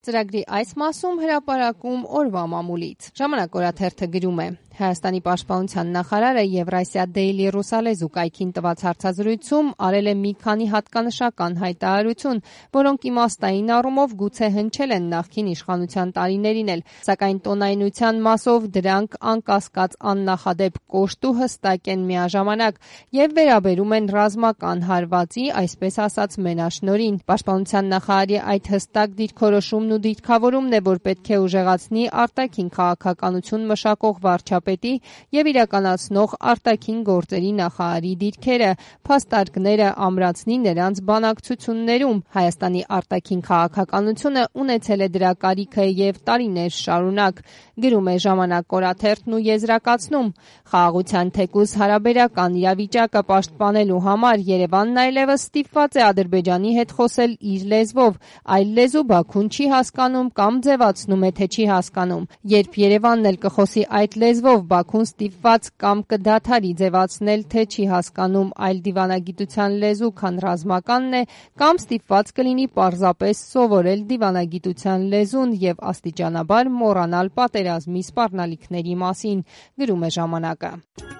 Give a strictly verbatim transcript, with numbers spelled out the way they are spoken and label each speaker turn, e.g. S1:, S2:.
S1: Ծրագրի այս մասում հրապարակում օրվա մամուլից։ Ժամանակ օրաթերթը գրում է. Հայաստանի պաշտպանության նախարարը Եվրասիա Դեյլի ռուսալեզու կայքին տված հարցազրույցում արել է մի քանի հատկանշական հայտարարություն, որոնք իմաստային առումով գուցե հնչել են նախկին իշխանության տարիներին էլ, սակայն տոնայնության մասով դրանք անկասկած աննախադեպ կոշտ ու հստակ են միաժամանակ եւ վերաբերում են ռազմական հարվածի, այսպես ասած, մենաշնորհին։ Պաշտպանության նախարարի այդ հստակ դիրքորոշումն ու դիրքավորումն է, որ պետք է ուժեղացնի արտաքին քաղաքականություն մշակող վարչապետի եւ իրականացնող արտաքին գործերի նախարարի դիրքերը, փաստարկները ամրացնի նրանց բանակցություններում։ Հայաստանի արտաքին քաղաքականությունը ունեցել է դրա կարիքը եւ տարիներ շարունակ, գրում է Ժամանակ օրաթերթն ու եզրակացնում. խաղաղության թեկուզ հարաբերական իրավիճակը պաշտպանելու համար Երևանն այլևս ստիպված է Ադրբեջանի հետ խոսել իր լեզվով, այլ լեզու Բաքուն չի հասկանում կամ ձևացնում է, թե չի հասկանում։ Երբ Երևանն էլ կխոսի այդ լեզվով, Բաքուն ստիպված կամ կդադարի ձևացնել, թե չի հասկանում այլ դիվանագիտության լեզու, քան ռազմականն է, կամ ստիպված կլինի պարզապես սովորել դիվանագիտության լեզուն եւ աստիճանաբար մոռանալ պատերազմի սպառնալիքների մասին, գրում է Ժամանակը։